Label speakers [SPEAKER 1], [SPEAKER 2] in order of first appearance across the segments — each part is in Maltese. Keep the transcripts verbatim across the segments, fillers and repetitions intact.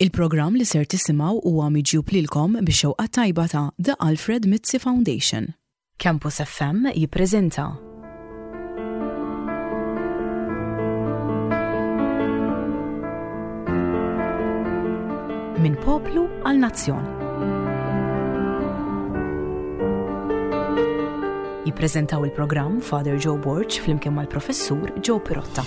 [SPEAKER 1] Il-programm li ser tisimgħu huwa miġjub lilkom bix-xewqa tajba ta' The Alfred Mizzi Foundation. Campus F M jippreżenta Minn Poplu għal Nazzjon. Jippreżentaw il-programm Father Joe Borg flimkien mal-Professur Joe Pirotta.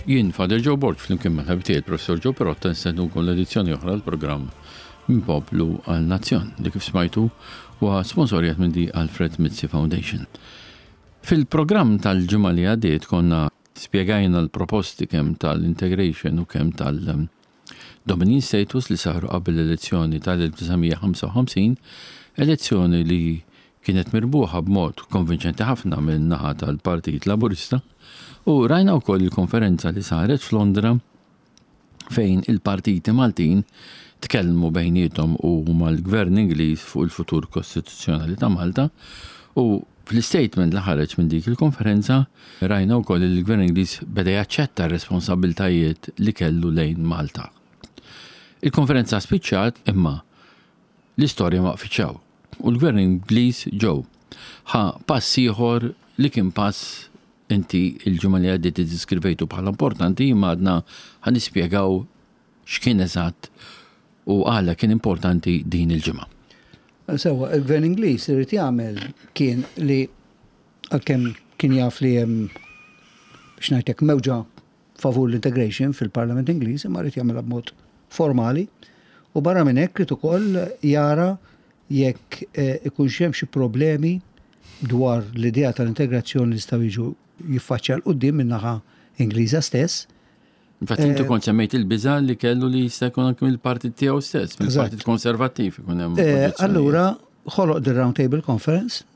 [SPEAKER 2] Jien Father Joe Borg flimkien ma' ħabib tiegħi Professor Joe Pirotta nistednukom l-edizzjoni oħra l-programm Minn Poplu għal Nazzjon li, kif smajtu, huwa sponsorjat minn The Alfred Mizzi Foundation. Fil-programm tal-ġimgħa li għaddiet konna spjegajna l-proposti kemm tal-integration u kemm tal-Dominion status li saru qabel l-elezzjoni tal-elf disa' mija ħamsa u ħamsin, elezzjoni li kienet mirbuħa b'mod konvinċenti ħafna minn naħa tal-Partit Laburista. U rajna wkoll il-konferenza li saret f'Londra fejn il-partiti Maltin tkellmu bejniethom u mal-Gvern Ingliż fuq il-futur kostituzzjonali ta' Malta, u fl-statement li ħareġ minn dik il-konferenza rajna wkoll li l-Gvern Ingliż beda jaċċetta r-responsabbiltajiet li kellu lejn Malta. Il-konferenza spiċċat, imma l-istorja ma waqfitx hawn. U l-Gvern Ingliż ġew ħa pass ieħor li kien pass inti il-ġimgħa li għaddiet iddiskrivejtu bħala importanti, imma għadna ħa nispjegaw x'kien eżatt u għala kien importanti din il-ġimgħa.
[SPEAKER 3] Sewwa, il-Gvern Ingliż irid jagħmel kien li, għalkemm kien jaf li hemm, biex ngħidlek, mewġa favur l-integration fil-Parlament Ingliż, imma rrid jagħmilha b'mod formali u barra minn hekk irid ukoll jara jekk eh, ikunx hemm xi problemi dwar l-idea tal-integrazzjoni li jistgħu jiġu jiffaċċja 'l quddiem min-naħa Ingliża stess.
[SPEAKER 2] Infatti inti kont semmejt il-biża li kellu li jista' jkun anke mill-partit tiegħu stess, mill-Partit Konservattiv ikun hemm
[SPEAKER 3] Eh,
[SPEAKER 2] oġġezzjonijiet.
[SPEAKER 3] Allura, ħoloq the Round Table Conference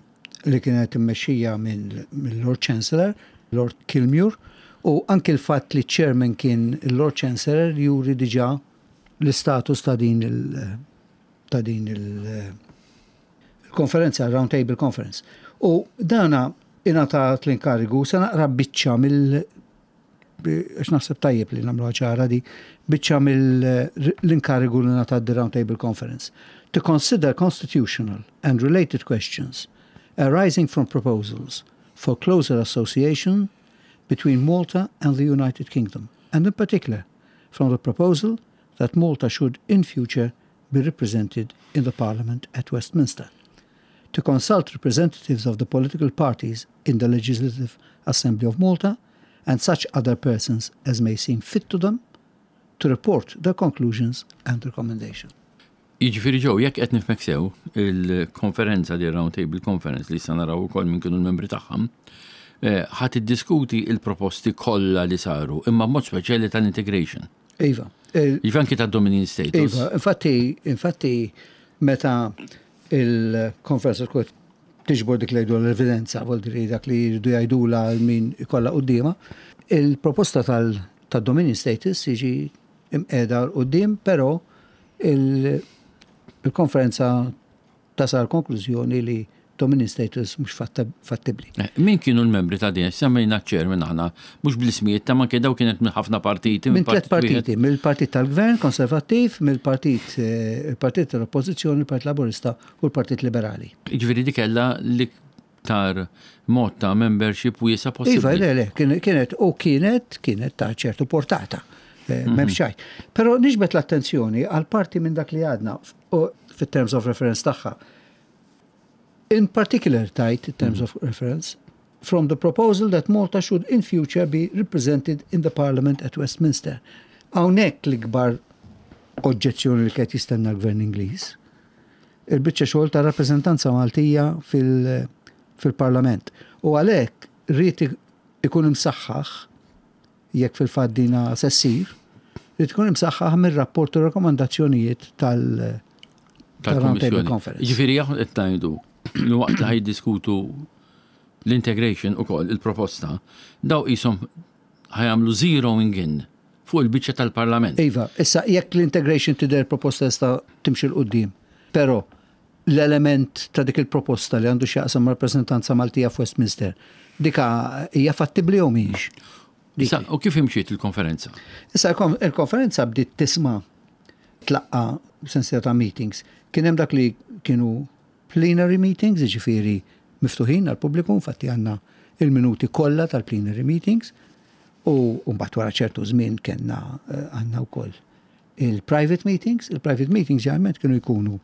[SPEAKER 3] li kienet immexxija mill-Lord Chancellor, Lord Kilmuir, u anke l-fatt li chairman kien il-Lord Chancellor juri diġà l-istatus ta' din il- ta' din il- il-konferenza, Round Table Conference. U dana ingħatat l-inkarigu, se naqra biċċa mill għax naħseb tajjeb li nagħmlu ċara di, biċċa mill-inkarigu li ngħatat the Round Table Conference. To consider constitutional and related questions arising from proposals for closer association between Malta and the United Kingdom, and in particular from the proposal that Malta should in future be represented in the Parliament at Westminster. To consult representatives of the political parties in the Legislative Assembly of Malta and such other persons as may seem fit to them, to report their conclusions and recommendation.
[SPEAKER 2] Jiġifieri ġew, jekk qed nifhmek sew, il-konferenza di Round Table Conference li sa naraw ukoll min kienu l-membri tagħha, eh, ħa tiddiskuti il-proposti kollha li saru, imma mod speċjali tal-integration.
[SPEAKER 3] Iva. Il-
[SPEAKER 2] Jiġifieri anki ta' Dominion status.
[SPEAKER 3] Iva, infatti, infatti, meta il-konferenza tkun tiġbor dik li jgħidu l-evidenza, vuol dire dak li jridu jgħidula għal min ikollha quddiemha, il-proposta tal-Dominion status jiġi imqiegħda quddiem, però il- il-konferenza tasal konklużjoni li Dominion status mhux fattibli.
[SPEAKER 2] Eh, Min kienu l-membri ta' din? Semmejna chairman aħna, mhux bl-ismijiet ta' ma daw kienet minn ħafna partiti.
[SPEAKER 3] Minn tliet
[SPEAKER 2] partit wieħed.
[SPEAKER 3] Partiti, mill-partit tal-Gvern Konservattiv, mill-partit eh, il-Partit tal-Oppożizzjoni, il-Partit Laburista u l-Partit Liberali.
[SPEAKER 2] Jiġifieri di kellha l-iktar mod ta' membership wiesa'
[SPEAKER 3] Iva,
[SPEAKER 2] possibbli.
[SPEAKER 3] le, le, kien- kienet u kienet kienet ta' ċertu portata. eh, M'hemmx xejn. Però niġbet l-attenzjoni għal parti minn dak li għadna u fit-terms of reference tagħha. In particular, tight terms of reference, from the proposal that Malta should in future be represented in the Parliament at Westminster. Hawnhekk l-ikbar oġġezzjoni li kien jistenna l-Gvern Ingliż. Il-biċċa xogħol ta' rappreżentanza Maltija fil- fil-Parlament. U għalhekk rrid ikun imsaħħaħ, jekk fil-fatt dina se ssir, rrid ikun imsaħħaħ mir-rapport u rakkomandazzjonijiet tal- tal-Round Table
[SPEAKER 2] tal-Kummissjoni.
[SPEAKER 3] Conference.
[SPEAKER 2] Jiġifieri aħna qed ngħidu li waqt li ħa jiddiskutu l-integration ukoll il-proposta, daw qishom ħa jagħmlu zeroing in fuq il-biċċa tal-Parlament.
[SPEAKER 3] Iva, issa jekk l-integration tidher proposta sta timxi 'l quddiem, però l-element ta' dik il-proposta li għandu x'jaqsam rappreżentanza Maltija f'Westminster, dika hija fattibli jew mhijiex?
[SPEAKER 2] Issa, u kif imxiet il-konferenza?
[SPEAKER 3] Issa il-konferenza bdiet tisma' tlaqqa sensiela ta' meetings. Kien hemm dak li kienu plenary meetings, jiġifieri miftuħin għal pubbliku, infatti għandna il-minuti kollha tal-plenary meetings, u mbagħad wara ċertu żmien kellna eh, għandna wkoll il-private meetings. Il-private meetings ġeneralment kienu jkunu,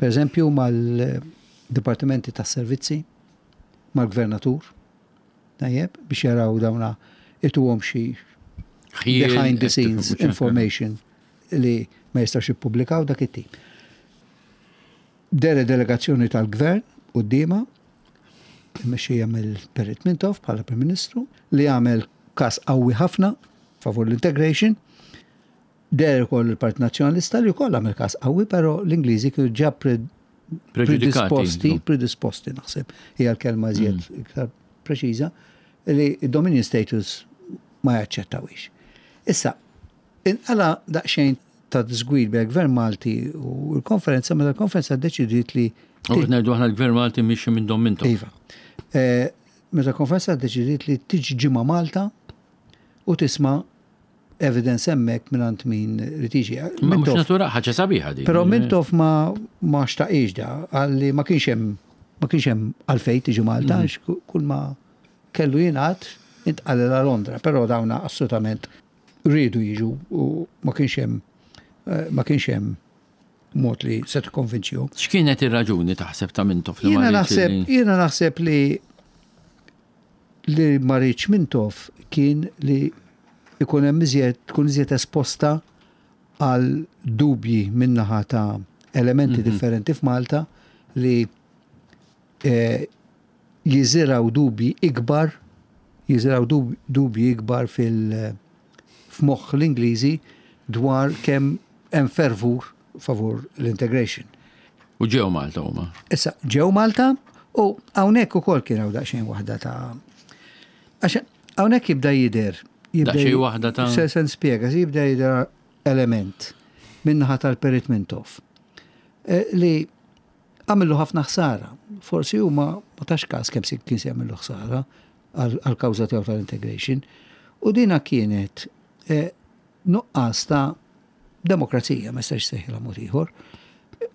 [SPEAKER 3] per eżempju, mal-dipartimenti tas-servizzi, mal-gvernatur, tajjeb, biex jaraw dawna ituhom xi behind the scenes information li ma jistax jippubblikaw dak it-tip. Dehret delegazzjoni tal-gvern quddiemha, mmexxija mill-Perit Mintoff bħala Prim Ministru, li għamel kas qawwi ħafna favur l-integration. Deher ukoll il-Partit Nazzjonalista li wkoll għamel kas qawwi, però l-Ingliżi kienu ġa predisposti, predisposti naħseb, hija l-kelma iżjed mm. iktar preċiża, li dominion status ma jaċċettawix. Issa, inqala daqsxejn ta' disgwid bejn gvern Malti u l-konferenza, meta l-konferenza deċidiet li.
[SPEAKER 2] U ngħidu aħna l-gvern Malti mixi minn Dom Mintoff.
[SPEAKER 3] Iva. Eh, meta l-konferenza deċidiet li tiġi ġimgħa Malta u tisma' evidence hemmhekk minn min li tiġi.
[SPEAKER 2] Ma mhux natura ħaġa sabiħa di.
[SPEAKER 3] Però Mintoff ma ma xtaqix da, għalli ma kienx hemm ma kienx hemm għalfejn tiġi Malta, mm. kull ma kellu jingħad intqal la Londra, però dawna assolutament rridu jiġu u ma kienx hemm eh, ma kienx hemm mod li se tikkonvinċihom.
[SPEAKER 2] X'kienet ir-raġuni taħseb ta' Mintoff
[SPEAKER 3] li Jiena naħseb jiena naħseb li li ma riedx Mintoff kien li ikun hemm iżjed tkun iżjed esposta għal dubji minnaħa ta' elementi mm -hmm. differenti f'Malta li eh, jiżiraw dubji ikbar jiżiraw dubji ikbar fil f'moħħ l-Ingliżi dwar kemm hemm fervur favur l-integration.
[SPEAKER 2] U ġew Malta huma.
[SPEAKER 3] Issa, ġew Malta u hawnhekk ukoll kien hawn daqsxejn waħda ta' għax hawnhekk jibda jidher.
[SPEAKER 2] Daqsxejn waħda ta'
[SPEAKER 3] Se se nispjega, jibda jidher element minnaħa tal-Perit Mintoff eh, li għamillu ħafna ħsara. Forsi huma ma tax każ kemm kien se jagħmillu ħsara għal-kawża tiegħu tal-integration. U dina kienet eh, nuqqas ta' demokrazija, ma jistax sejħilha mod ieħor.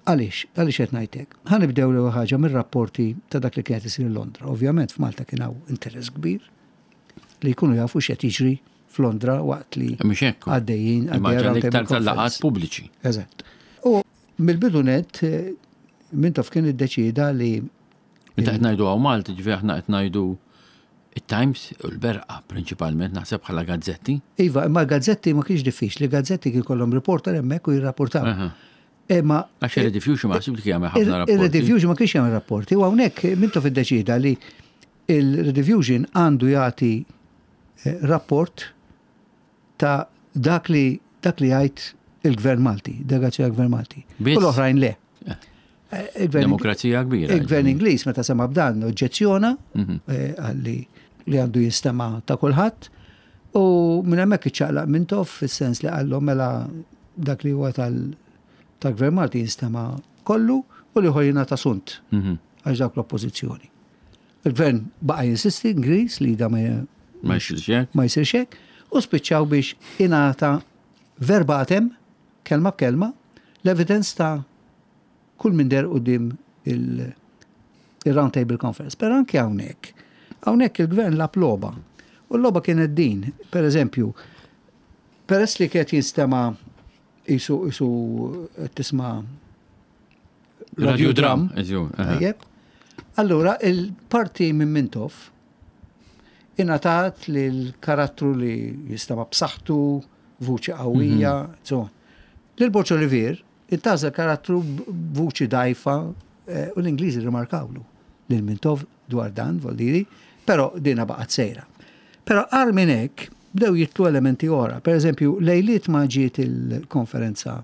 [SPEAKER 3] Għaliex, għaliex qed ngħidlek? Ħa nibdew l ħaġa mir-rapporti ta' dak li kienet isir Londra. Ovvjament f'Malta kien hawn interess kbir li jkunu jafu x'qed jiġri f'Londra waqt li għaddejjin
[SPEAKER 2] għaddejjin iktar tal-laqgħat pubbliċi.
[SPEAKER 3] Eżatt. U mill-bidu net eh, Mintoff kien iddeċida li
[SPEAKER 2] Meta qed ngħidu hawn Malta, ġifieri aħna qed ngħidu it-Times u l-Berqa prinċipalment naħseb bħala gazzetti.
[SPEAKER 3] Iva, imma gazzetti ma kienx diffiċli, gazzetti kien kollhom reporter hemmhekk u jirrapportaw.
[SPEAKER 2] Imma Għax il-Rediffusion ma ħsib li kien jagħmel ħafna rapporti.
[SPEAKER 3] Il-Rediffusion ma kienx jagħmel rapporti. U hawnhekk Mintoff iddeċida li il-Rediffusion għandu jagħti eh, rapport ta' dak li dak li jgħid il-Gvern Malti, delegazzjoni għal-Gvern Malti. U l-oħrajn le.
[SPEAKER 2] Eh. Demokrazija kbira.
[SPEAKER 3] Il-Gvern Ingliż meta sema b'dan oġġezzjona mhm. eh, għalli li għandu jinstema ta' kulħadd u minn hemmhekk iċċaqlaq Mintoff fis-sens li qallhom mela dak li huwa tal-Gvern Malti jinstema kollu u li ħojjina ta' sunt mhm. għax dawk l-oppożizzjoni. Il-gvern baqa' jinsisti Ingliż li da ma jsirx hekk u spiċċaw biex ingħata verbatim kelma b'kelma l-evidence ta' kull min deher quddiem il-Round Table Conference. Però anke hawnhekk, hawnhekk il-gvern lagħab logħba. U l-logħba kienet din, per eżempju, peress li kienet jinstema jisu jisu tisma'
[SPEAKER 2] radiodram.
[SPEAKER 3] Allura, il-parti minn Mintoff ingħatat li l-karattru li jinstema' b'saħħtu, vuċi qawwija, mm -hmm. Lil Borg Olivier, intgħażel karattru b'vuċi dajfa eh, u l-Ingliżi rimarkawlu lil Mintoff dwar dan, voldiri, però dina baqgħet sejra. Però agħar minn hekk bdew jitilgħu elementi oħra. Per eżempju, lejliet ma ġiet il-konferenza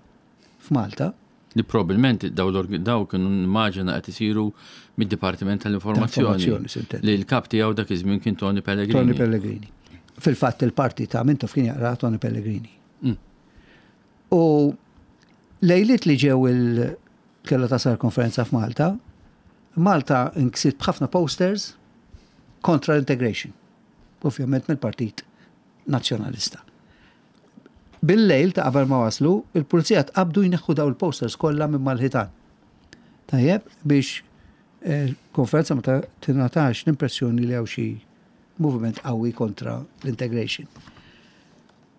[SPEAKER 3] f'Malta.
[SPEAKER 2] Li probabilment daw daw kienu immaġina qed isiru mid-Dipartiment tal-Informazzjoni. Li l-kap tiegħu dak iż-żmien kien Tony Pellegrini.
[SPEAKER 3] Tony Pellegrini. Fil-fatt il-parti ta' Mintoff kien jaqra Tony Pellegrini.
[SPEAKER 2] Mm.
[SPEAKER 3] U lejliet li ġew il kella tasal konferenza f'Malta, Malta inksiet b'ħafna posters kontra l-integration. Ovvjament mill-Partit Nazzjonalista. Bil-lejl ta' qabel ma waslu, il-pulizija tqabdu jneħħu daw il-posters kollha minn mal-ħitan. Tajjeb, biex eh, konferenza ma ta- tingħatax l-impressjoni li hawn xi moviment qawwi kontra l-integration.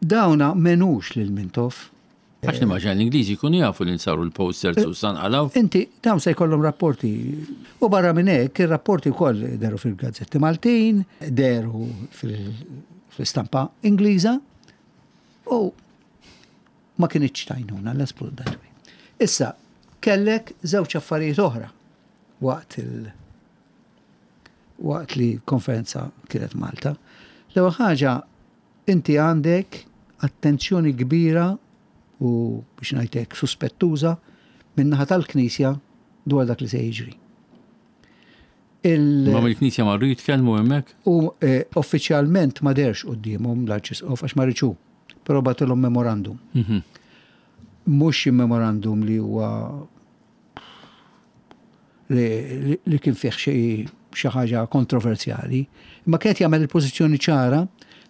[SPEAKER 3] Dawna menux lil Mintoff.
[SPEAKER 2] Għax nimmaġina l-Ingliżi jkunu jafu li nsaru l-posters u sanqalaw.
[SPEAKER 3] Inti, dawn se jkollhom rapporti. U barra minn hekk, ir-rapporti wkoll deru fil-gazzetti Maltin, deru fil- fil-stampa Ingliża, u ma kinitx tajnuna, let's put it that way. Issa, kellek żewġ affarijiet oħra waqt il waqt li konferenza kienet Malta. L-ewwel ħaġa, inti għandek attenzjoni kbira u biex ngħidlek suspettuża min-naħa tal-Knisja dwar dak li se jiġri. Il-
[SPEAKER 2] Ma mill-Knisja marru jitkellmu hemmhekk?
[SPEAKER 3] U eh, uffiċjalment ma derx quddiemhom l-Arċisqof għax ma riċu, però bagħtilhom memorandum.
[SPEAKER 2] Mhm.
[SPEAKER 3] Mhux xi memorandum li huwa li, li, li kien fih xi xi ħaġa kontroversjali, imma kienet jagħmel il-pożizzjoni ċara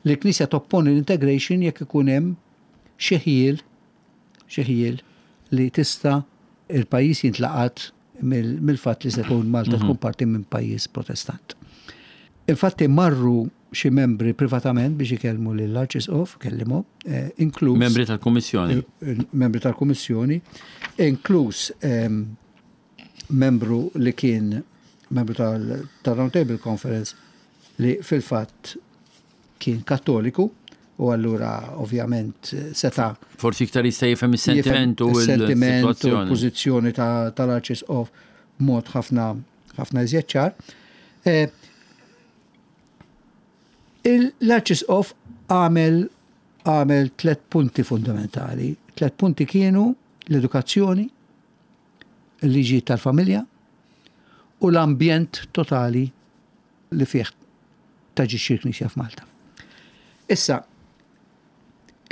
[SPEAKER 3] li l-Knisja topponi l-integration jekk ikun hemm xi ħjiel xi ħjiel li tista' il-pajjiż jintlaqat mill- mill-fatt li se tkun Malta tkun parti minn pajjiż protestant. Infatti marru xi membri privatament biex ikellmu lill-Arċisqof, kellimhom, eh, inkluż
[SPEAKER 2] Membri tal-Kummissjoni.
[SPEAKER 3] il- membri tal-Kummissjoni, inkluż em, membru li kien membru tal- tal-Round Table Conference li fil-fatt kien kattoliku u allura ovvjament seta
[SPEAKER 2] Forsi iktar jista' jifhem is-sentiment u
[SPEAKER 3] il-sentiment u
[SPEAKER 2] l-sitwazzjoni.
[SPEAKER 3] l-pożizzjoni ta- tal-Arċisqof b'mod ħafna ħafna iżjed ċar. Eh, il- L-Arċisqof għamel għamel tlet punti fundamentali. Tlet punti kienu l-edukazzjoni, il-liġi tal-familja u l-ambjent totali li fih taġixxi l-Knisja f'Malta. Issa,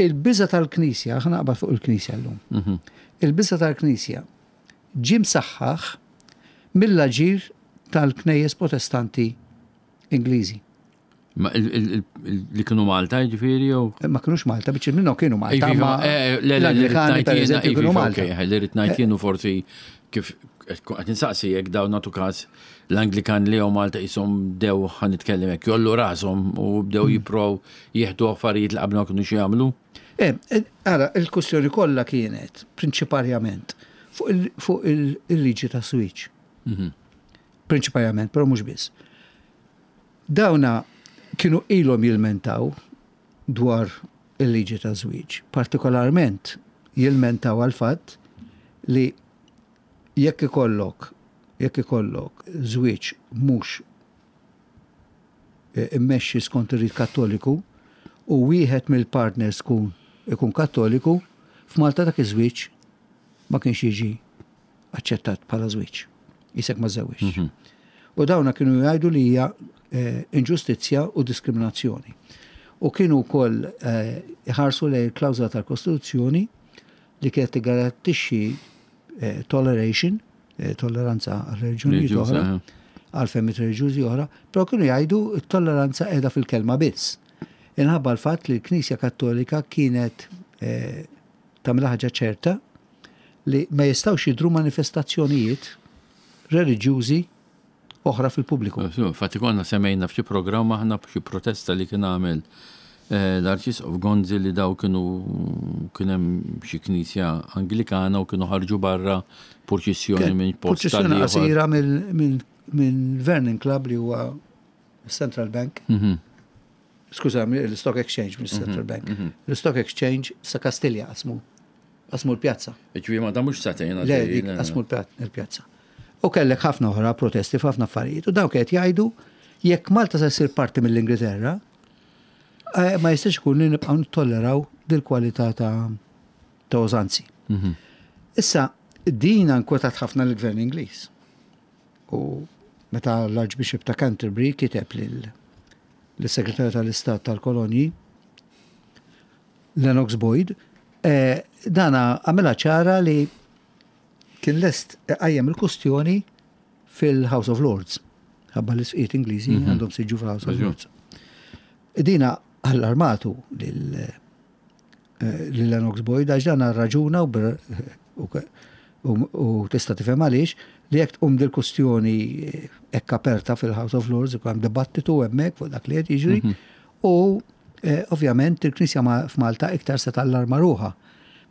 [SPEAKER 3] il-biża tal-Knisja, ħa naqbad fuq il-Knisja llum.
[SPEAKER 2] Mhm.
[SPEAKER 3] Il-biża tal-Knisja ġie msaħħaħ mill-aġir tal-Knejjes Protestanti Ingliżi.
[SPEAKER 2] Ma il- il- il- li kienu Malta ġifieri jew?
[SPEAKER 3] Ma kienux Malta, biċ minnhom kienu Malta,
[SPEAKER 2] Iva,
[SPEAKER 3] ma
[SPEAKER 2] eh, le, le, li
[SPEAKER 3] l-Anglikani per
[SPEAKER 2] rrid
[SPEAKER 3] eżempju kienu
[SPEAKER 2] ngħid
[SPEAKER 3] Malta.
[SPEAKER 2] jiena, li rrid ngħid jien u forsi kif qed insaqsi jekk dawn nagħtu każ l-Anglikan li jew Malta jisom bdew ħa nitkellem hekk jollu rashom u bdew
[SPEAKER 3] Mm.
[SPEAKER 2] jipprow jieħdu affarijiet li qabel ma kienu jagħmlu.
[SPEAKER 3] Eh, eh, Ara, il-kustjoni kollha kienet prinċiparjament fuq il- fuq il- il-liġi ta' żwieġ.
[SPEAKER 2] Mhm.
[SPEAKER 3] Prinċiparjament, però mhux biss. Dawna kienu ilhom jilmentaw dwar il-liġi ta' żwieġ. Partikolarment jilmentaw għal fatt li jekk ikollok jekk ikollok żwieġ mhux eh, immexxi skont ir-rit kattoliku u wieħed mill-partners kun ikun kattoliku, f'Malta dak iż-żwieġ ma kienx jiġi aċċettat bħala żwieġ. Isek ma żewġ. U dawna kienu jgħidu li hija eh, inġustizzja u diskriminazzjoni. U kienu wkoll eh, iħarsu lejn il-klawżola tal-Kostituzzjoni li kienet tigarantixxi eh, toleration, eh, tolleranza għal reliġjonijiet
[SPEAKER 2] Reliġjuża,
[SPEAKER 3] oħra,
[SPEAKER 2] eh.
[SPEAKER 3] għal fehmiet reliġjużi oħra, però kienu jgħidu t-tolleranza qiegħda fil-kelma biss. Inħabba l-fatt li l-Knisja Kattolika kienet eh, tagħmilha ħaġa ċerta li ma jistgħux jidru manifestazzjonijiet reliġjużi oħra fil-pubbliku.
[SPEAKER 2] Infatti konna semmejna f'xi programm aħna b'xi protesta li kien għamel eh, l-Arċisqof Gonzi li daw kienu kien hemm xi knisja Anglikana u kienu ħarġu barra purċissjoni minn post
[SPEAKER 3] Purċissjoni
[SPEAKER 2] tal-ieħor.
[SPEAKER 3] qasira mill- minn minn Vernon Club li huwa Central Bank.
[SPEAKER 2] Mhm.
[SPEAKER 3] Skuża, l-Stock Exchange, mill Central Bank. L-Stock Exchange sa Kastilja qasmu qasmu l-pjazza.
[SPEAKER 2] Ġifieri ma da mhux sagħtejn
[SPEAKER 3] Le,
[SPEAKER 2] għaddej,
[SPEAKER 3] dik
[SPEAKER 2] le, le.
[SPEAKER 3] qasmu l-pjazza. U kellek ħafna oħra protesti f'ħafna affarijiet. U dawk qed jgħidu jekk Malta se ssir parti mill-Ingilterra, eh, ma jistax ikun li nibqgħu nittolleraw dil-kwalità ta' ta' użanzi.
[SPEAKER 2] Mhm.
[SPEAKER 3] Issa, din inkwetat ħafna l-gvern Ingliż. U meta l-Archbishop ta' Canterbury kiteb lil l-Segretarju tal-Istat tal-Kolonji, Lennox Boyd, eh, dana għamela ċara li kien lest qajjem il-kustjoni fil-House of Lords. Ħabba l-isqfijiet Ingliżi mhm. għandhom siġġu fil-House of Lords. Dina allarmatu lil eh, Lennox Boyd, għax dan raġuna u tista' tifhem għaliex li jekk tqum dil-kustjoni hekk aperta fil-House of Lords, ikun hemm dibattitu hemmhekk fuq dak li qed jiġri mhm. u eh, ovvjament il-Knisja f'Malta iktar se tallarma ruħha.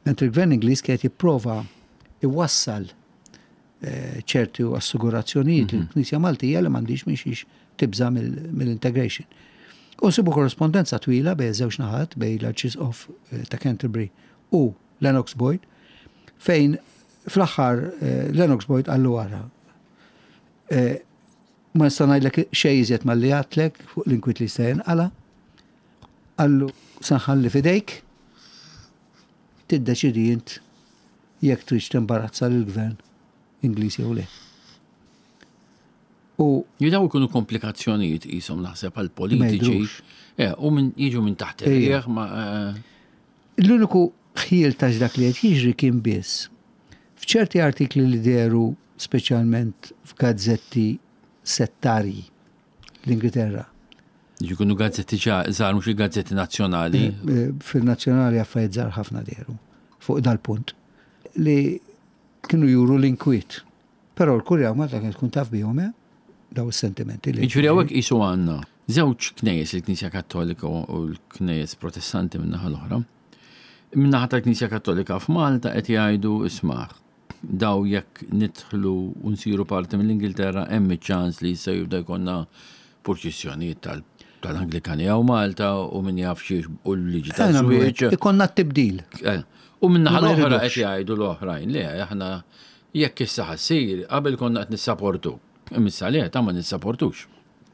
[SPEAKER 3] Mentri il-Gvern Ingliż kien jipprova iwassal eh, ċerti assigurazzjonijiet mhm. il-Knisja Maltija li m'għandix minn xiex tibża mill-integration. U nsibu korrespondenza twila bejn żewġ naħat, bejn l-Arċisqof eh, ta' Canterbury u Lennox Boyd, fejn fl-aħħar eh, Lennox Boyd qallu wara. Eh, ma nista' ngħidlek xejn iżjed malli għedtlek fuq l-inkwiet li se jinqala. Qallu se nħalli f'idejk, tiddeċidi int jekk tridx timbarazza lill-gvern Ingliż jew le.
[SPEAKER 2] U Jidaw ikunu komplikazzjonijiet jisom naħseb għal politiċi. Eh, u minn jiġu minn taħt ir ma. Eh,
[SPEAKER 3] L-uniku ħjiel ta' dak li qed jiġri kien biss f'ċerti artikli li dehru, speċjalment f'gazzetti settarji l-Ingilterra.
[SPEAKER 2] Jkunu gazzetti żgħar, mhux il-gazzetti nazzjonali.
[SPEAKER 3] Eh, fil-nazzjonali affarijiet żgħar ħafna dehru fuq dal-punt li kienu juru l-inkwiet. Però l-Kurja Malta kien tkun taf bihom, eh, daw is-sentimenti
[SPEAKER 2] li. Jiġifieri hawnhekk qisu għandna żewġ knejjes, il-Knisja Kattolika u l-Knejjes Protestanti min-naħa l-oħra. Min-naħa tal-Knisja Kattolika f'Malta qed jgħidu, isma', daw jekk nidħlu u nsiru parti mill-Ingilterra, hemm iċ-ċans li jista' jibda jkollna purċissjonijiet tal-Anglikani hawn Malta u min jaf xiex u l-liġi tal-żwieġ.
[SPEAKER 3] Ikollna t-tibdil.
[SPEAKER 2] Eh, u min-naħa l-oħra qed jgħidu l-oħrajn li aħna jekk issa ħa ssir, qabel konna qed nissaportu. Imma le, ta' ma nissaportux.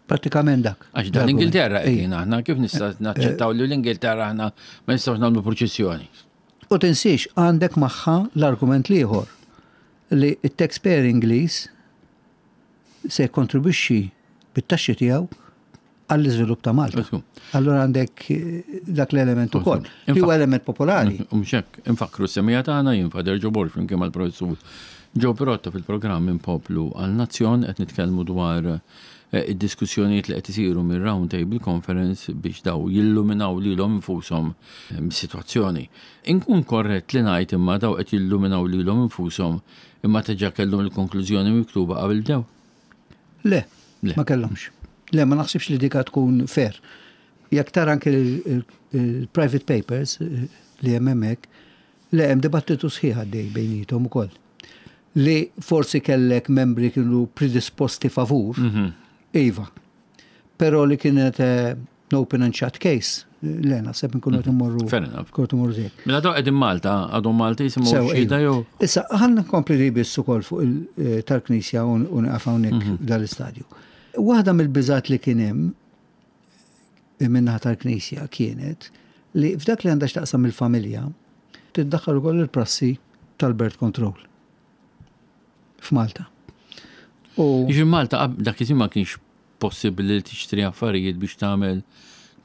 [SPEAKER 3] Pratikament dak.
[SPEAKER 2] Għax dan l-Ingilterra qegħdin aħna, kif nista' naċċettaw li l-Ingilterra aħna ma nistgħux nagħmlu purċissjoni?
[SPEAKER 3] U tinsiex, għandek magħha l-argument l-ieħor li it-taxpayer Ingliż se jkontribwixxi bit-taxxi tiegħu għall-iżvilupp ta' Malta. Allora għandek eh, dak l-element ukoll. Li huwa element popolari.
[SPEAKER 2] Mhux hekk, infakru s-semmiegħa tagħna, jien Father Joe Borg flimkien mal-professur Joe Pirotta fil-programm Minn Poplu għal Nazzjon, qed nitkellmu dwar eh, id-diskussjonijiet li qed isiru mir Round Table Conference biex daw jilluminaw lilhom infushom eh, mis-sitwazzjoni. Inkun korrett li ngħid imma daw qed jilluminaw lilhom infushom imma diġà kellhom il-konklużjoni miktuba qabel bdew?
[SPEAKER 3] Le, ma kellhomx. Le, ma naħsibx li dika tkun fair. Jekk tara anke il-private papers eh, li hemm hemmhekk, le, hemm dibattitu sħiħ għaddej bejniethom ukoll. Li forsi kellek membri kienu predisposti favur, mhm. iva. Però li kienet eh, open and shut case, le, naħseb nkunu qed immorru.
[SPEAKER 2] Fair enough.
[SPEAKER 3] Kunu immorru żejt.
[SPEAKER 2] Mela daw qegħdin Malta, għadhom Malta jisimgħu xhieda jew?
[SPEAKER 3] Issa ħa nkompli li biss ukoll fuq eh, tal-Knisja u nieqaf hawnhekk mhm. dal-istadju. Waħda mill-biżat li kien hemm min-naħa tal-Knisja kienet li f'dak li għandha x'taqsam il-familja tiddaħħal ukoll il-prassi tal-birth control f'Malta.
[SPEAKER 2] U Jiġi Malta dak iż ma kienx possibbli li tixtri affarijiet biex tagħmel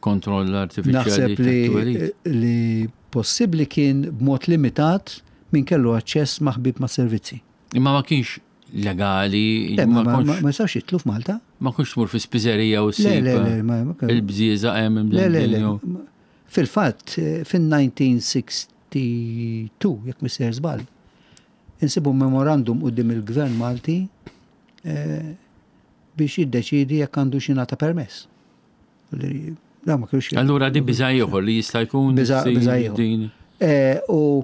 [SPEAKER 2] kontroll artifiċjali.
[SPEAKER 3] Naħseb li, li possibbli kien b'mod limitat, min kellu aċċess ma' ħbieb ma' servizzi.
[SPEAKER 2] Imma ma kienx legali.
[SPEAKER 3] Ma ma jistax jidħlu f'Malta.
[SPEAKER 2] Ma kienx tmur fi spiżerija u
[SPEAKER 3] ssib
[SPEAKER 2] il-bżieżaq hemm.
[SPEAKER 3] Le, le, le. Fil-fatt, fin-elf disa' mija u tnejn u sittin, jekk m'iniex sejjer żball, insibu memorandum quddiem il-Gvern Malti eh, biex jiddeċidi jekk għandu jingħata permess.
[SPEAKER 2] Da ma kienx. Allura din biża' ieħor li jista' jkun.
[SPEAKER 3] Biża' ieħor. Eh, u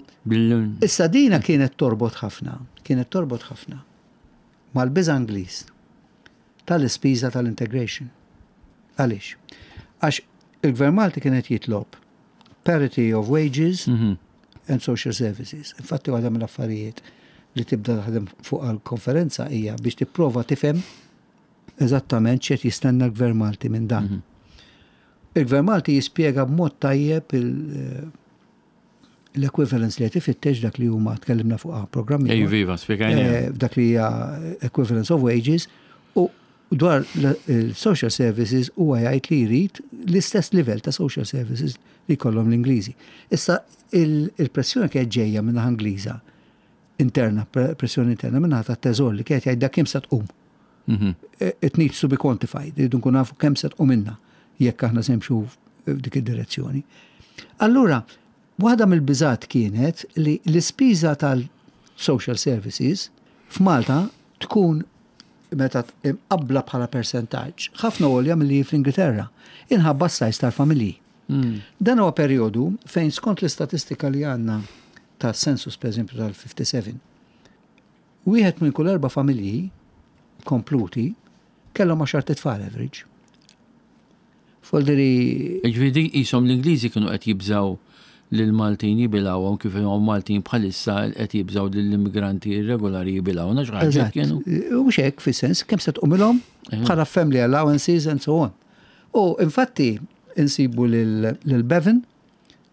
[SPEAKER 3] issa dina kienet torbot ħafna, kienet torbot ħafna mal-biża' Ingliż tal-ispiża tal-integration. Għaliex? Għax il-Gvern Malti kienet jitlob parity of wages mm -hmm. and social services. Infatti waħda mill-affarijiet li tibda taħdem fuq għal-konferenza hija biex tipprova tifhem eżattament x'qed jistenna l-Gvern Malti minn dan. Mm -hmm. Il-Gvern Malti jispjega b'mod tajjeb eh, l-equivalence li qed ifittex, dak li huma tkellimna fuq programmi.
[SPEAKER 2] Ej, viva, spjegajna.
[SPEAKER 3] Eh, dak li hija equivalence of wages u Dwar il-social services huwa jgħid li jrid l-istess livell ta' social services li jkollhom l-Ingliżi. Issa il-pressjoni kienet ġejja minn Ingliża interna, pressjoni interna minn ta' teżor li kienet jgħid dak kemm se tqum.
[SPEAKER 2] Mhm.
[SPEAKER 3] It needs to be quantified, irridu nkun nafu kemm se tqum minna jekk aħna se nimxu f'dik id-direzzjoni. Allura, waħda mill-biżat kienet li l-ispiża tal-social services f'Malta tkun meta imqabbla bħala percentaġġ ħafna għolja milli fl-Ingilterra, inħabba s-size tal-familji.
[SPEAKER 2] Mm.
[SPEAKER 3] Dan huwa perjodu fejn skont l-istatistika li għandna ta' census per eżempju tal-ħamsa u sebgħin, wieħed minn kull erba' familji kompluti kellhom għaxar tfal average. Folderi.
[SPEAKER 2] Ġifieri jisom l-Ingliżi kienu qed jibżaw lil Maltin jibilgħuhom kif huma Maltin bħalissa qed jibżaw lill-immigranti irregolari jibilgħu. Nax kienu.
[SPEAKER 3] U hekk fis-sens kemm se tqumilhom bħala family allowances and so on. U infatti insibu lil Bevin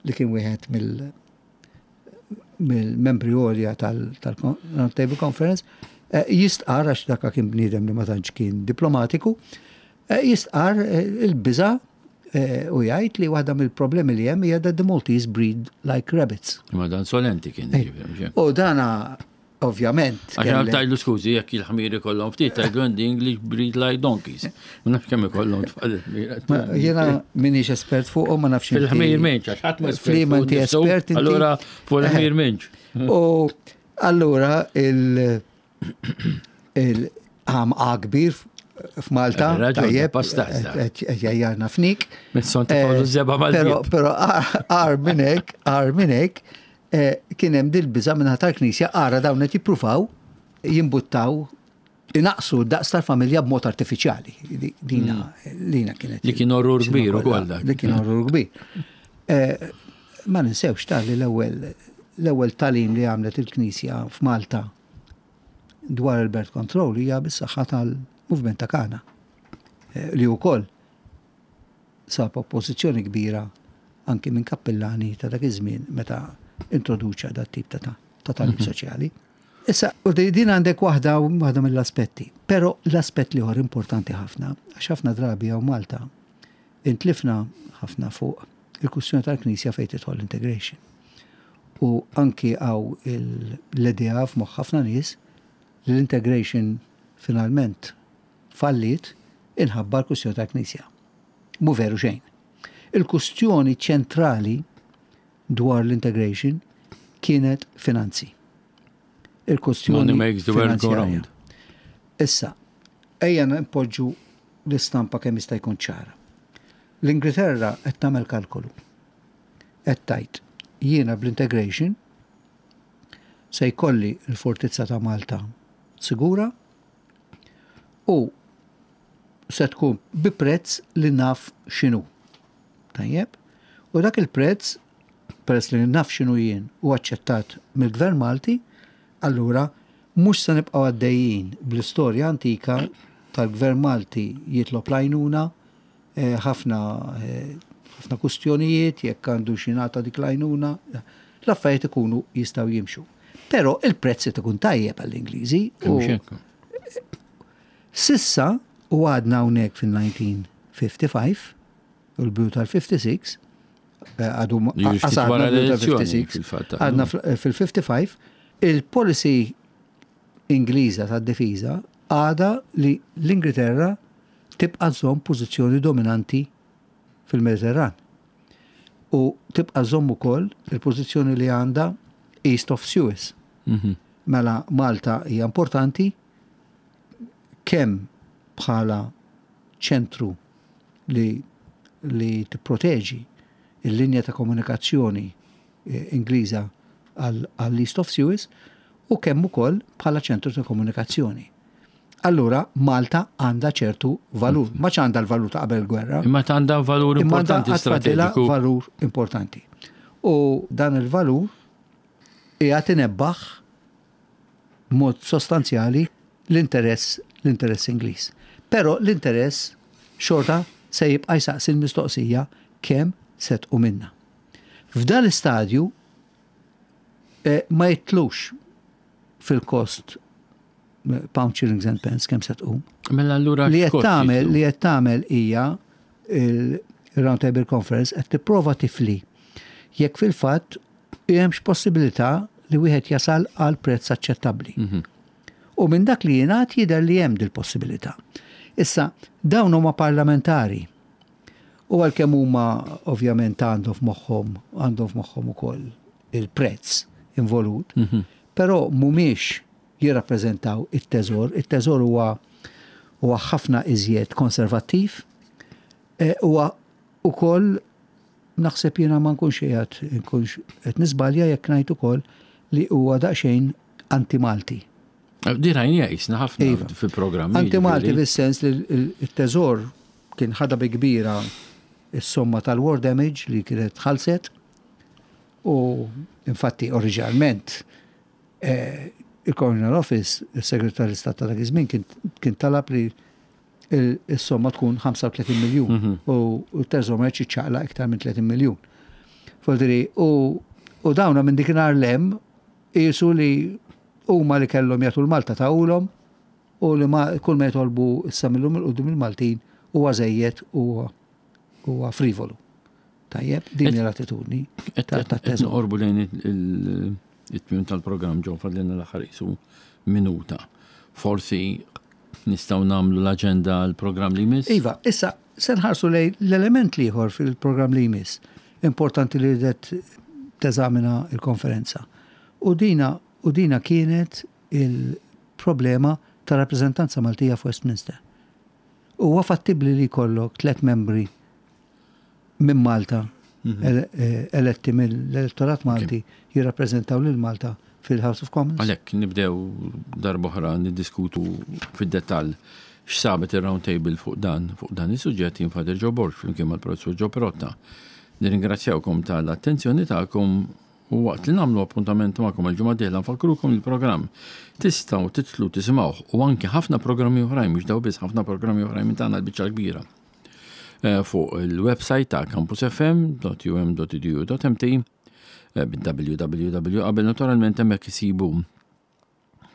[SPEAKER 3] li kien wieħed mill mill-membri għolja tal-Round Table Conference, eh, jistqar għax daka kien bniedem li ma tantx kien diplomatiku, eh, jistqar eh, il-biża u jgħid li waħda mill-problemi li hemm hija that the Maltese breed like rabbits.
[SPEAKER 2] Ma dan solenti kien. Ġifieri,
[SPEAKER 3] U dana ovvjament.
[SPEAKER 2] Għax tajlu skużi, jekk il-ħmiri kollhom ftit, tajlu the English breed like donkeys. Ma nafx kemm ikollhom tfal.
[SPEAKER 3] Jiena minix espert fuqhom, ma nafx.
[SPEAKER 2] Fil-ħmir minx, għax ħadd ma
[SPEAKER 3] espert. Inti espert.
[SPEAKER 2] Allura fuq il-ħmir minx.
[SPEAKER 3] U allura il il għam kbir f'Malta,
[SPEAKER 2] tajjeb,
[SPEAKER 3] jajjarna fnik.
[SPEAKER 2] Pero
[SPEAKER 3] għar minnek, għar minnek, kien hemm dil-biża minn tal-Knisja ara dawn qed jippruvaw jimbuttaw inaqsu daqs tal-familja b'mod artifiċjali. Dina lina kienet.
[SPEAKER 2] Li kien orrur kbir ukoll dak.
[SPEAKER 3] Li kien orrur kbir. Ma ninsewx tal li l-ewwel l-ewwel tagħlim li għamlet il-Knisja f'Malta dwar il-birth control hija bis-saħħa tal-movement ta' Kana li wkoll sab oppożizzjoni kbira anki minn kappellani ta' dak iż-żmien meta introduċa dat tip ta' ta' tagħlim soċjali. Issa, u din għandek waħda waħda mill-aspetti. Però l-aspett l-ieħor importanti ħafna, għax ħafna drabi hawn Malta intlifna ħafna fuq il-kwistjoni tal-Knisja fejn tidħol integration. U anki hawn l-idea f'moħħ ħafna nies li l-integration finalment fallit inħabba l-kwistjoni tal-Knisja. Mu veru xejn. Il-kwistjoni ċentrali dwar l-integration kienet finanzi. Il-kwistjoni
[SPEAKER 2] Money makes the world go round.
[SPEAKER 3] Issa, ejja npoġġu l-istampa kemm jista' jkun ċara. L-Ingilterra qed tagħmel kalkolu. Qed tgħid jiena bl-integration se jkolli l-fortizza ta' Malta sigura u se tkun bi prezz li naf x'inhu. Tajjeb? U dak il-prezz, peress li naf x'inhu jien u aċċettat mill-Gvern Malti, allura mhux se nibqgħu għaddejjin bl-istorja antika tal-Gvern Malti jitlob l-għajnuna, eh, ħafna eh, ħafna kustjonijiet jekk għandu xingħata dik l-għajnuna, l-affarijiet ikunu jistgħu jimxu. Però il-prezz ikun tajjeb għall-Ingliżi. u Sissa u għadna hawnhekk fil-elf disa' mija u ħamsa u ħamsin u l-bidu tal-ħamsa u sittin, għadu
[SPEAKER 2] wara l-elezzjoni, fil-fatt.
[SPEAKER 3] Għadna fil-ħamsa u ħamsin, il-policy Ingliża tad-difiża għada li l-Ingilterra tibqa' żomm pożizzjoni dominanti fil-Mediterran. U tibqa' żomm ukoll il-pożizzjoni li għandha East of Suez.
[SPEAKER 2] Mhm.
[SPEAKER 3] Mela Malta hija importanti kemm bħala ċentru li li tipproteġi il-linja ta' komunikazzjoni eh, Ingliża għall-East of Suez u kemm ukoll bħala ċentru ta' komunikazzjoni. Allura Malta għandha ċertu valur, ma għandha l-valur ta' qabel gwerra.
[SPEAKER 2] Imma għandha valur
[SPEAKER 3] Imma
[SPEAKER 2] importanti
[SPEAKER 3] għandha għatfadilha
[SPEAKER 2] strateġiku.
[SPEAKER 3] Valur importanti. U dan il-valur qiegħed inebbaħ b'mod sostanzjali l-interess l-interess Ingliż. Però l-interess xorta se jibqa' jsaqsi l-mistoqsija kemm se tqum minna. F'dan l-istadju eh, ma jitlux fil-kost pound shillings and pence kemm se tqum.
[SPEAKER 2] Mela allura
[SPEAKER 3] Li qed
[SPEAKER 2] x'kost
[SPEAKER 3] tagħmel
[SPEAKER 2] jitlu?
[SPEAKER 3] li qed tagħmel hija il-Round Table Conference qed tipprova tifli jekk fil-fatt hemmx possibilità li wieħed jasal għal prezz aċċettabbli.
[SPEAKER 2] Mhm.
[SPEAKER 3] U minn dak li jingħad jidher li hemm dil-possibilità. Issa, dawn huma parlamentari. U għalkemm huma ovvjament għandhom f'moħħhom għandhom f'moħħhom ukoll il-prezz involut,
[SPEAKER 2] Mhm.
[SPEAKER 3] però mhumiex jirrappreżentaw it-teżor. It-teżor huwa huwa ħafna iżjed konservattiv, e, huwa ukoll naħseb jiena ma nkunx qiegħed nkunx qed niżbalja jekk ngħid ukoll li huwa daqsxejn anti-Malti.
[SPEAKER 2] Di rajnija jisna ħafna
[SPEAKER 3] Iva.
[SPEAKER 2] fil-programmi.
[SPEAKER 3] Anti-Malti
[SPEAKER 2] ġifieri.
[SPEAKER 3] fis-sens li l-teżor kien ħadha bi kbira is-somma tal-war damage li kienet ħalset u infatti oriġinalment eh, il-Colonial Office, il-Segretarju Stat ta' dak iż-żmien kien kien talab li il- is-somma tkun ħamsa u tletin miljun
[SPEAKER 2] Mhm.
[SPEAKER 3] u u t-teżor ma jridx jiċċaqlaq iktar minn tletin miljun. Voldiri, u u dawna minn dikinhar lem qisu li huma li kellhom jagħtu l-Malta tawulhom u li ma kull ma jitolbu issa millum il-qudiem il-Maltin huwa żejjed u huwa frivolu. Tajjeb, din
[SPEAKER 2] Et-
[SPEAKER 3] hi l-attitudni
[SPEAKER 2] Qed
[SPEAKER 3] ta'
[SPEAKER 2] qed- qed
[SPEAKER 3] tat-teżor.
[SPEAKER 2] noqorbu lejn il- it-tmiem tal-programm ġew fadlilna l-aħħar qisu minuta. Forsi nistgħu nagħmlu l-aġenda għall-programm li jmiss?
[SPEAKER 3] Iva, issa se nħarsu lejn l-element l-ieħor fil-programm li jmiss. Importanti li ridet teżamina il-konferenza. U dina, u dina kienet il-problema ta' rappreżentanza Maltija f'Westminster. Huwa fattibli li jkollok tliet membri minn Malta
[SPEAKER 2] Mhm.
[SPEAKER 3] ele- eh, eletti mill-elettorat Malti jirrappreżentaw lil Malta fil-House of Commons.
[SPEAKER 2] Għalhekk nibdew darb'oħra niddiskutu fid-dettall x'sabet ir-round table fuq dan fuq dan is-suġġett. Jien Father Joe Borg flimkien mal-Professur Joe Perotta. Nirringrazzjawkom tal-attenzjoni tagħkom u waqt li nagħmlu appuntament magħkom il-ġimgħa dieħla nfakkrukom il-programm tistgħu titlu tisimgħuh u anke ħafna programmi oħrajn, mhux daw biss, ħafna programmi oħrajn minn tagħna l-biċċa kbira Eh, fuq il-website ta' campusfm dot u m dot e d u dot m t eh, bil-W W W qabel naturalment. Hemmhekk isibu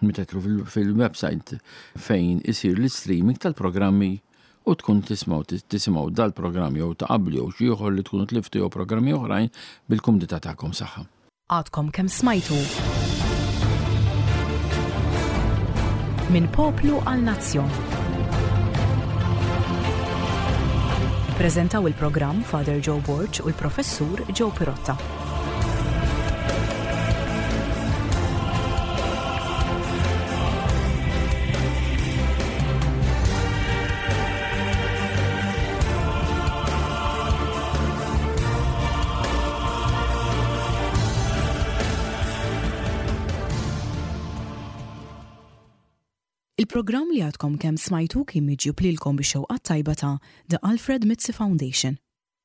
[SPEAKER 2] meta tidħlu fil- fil-website fejn isir l-streaming tal-programmi u tkun tismaw tisimgħu dal-programm jew ta' qablu jew xi ieħor li tkunu tliftu jew programmi oħrajn bil-kumdità tagħkom. Saħħa.
[SPEAKER 1] Għadkom kemm smajtu Minn Poplu għal Nazzjon. Prezentaw il-programm Father Joe Borg u l-Professur Joe Pirotta. Il-programm li għadkom kemm smajtu kien miġjub lilkom bix-xewqa tajba ta' The Alfred Mizzi Foundation.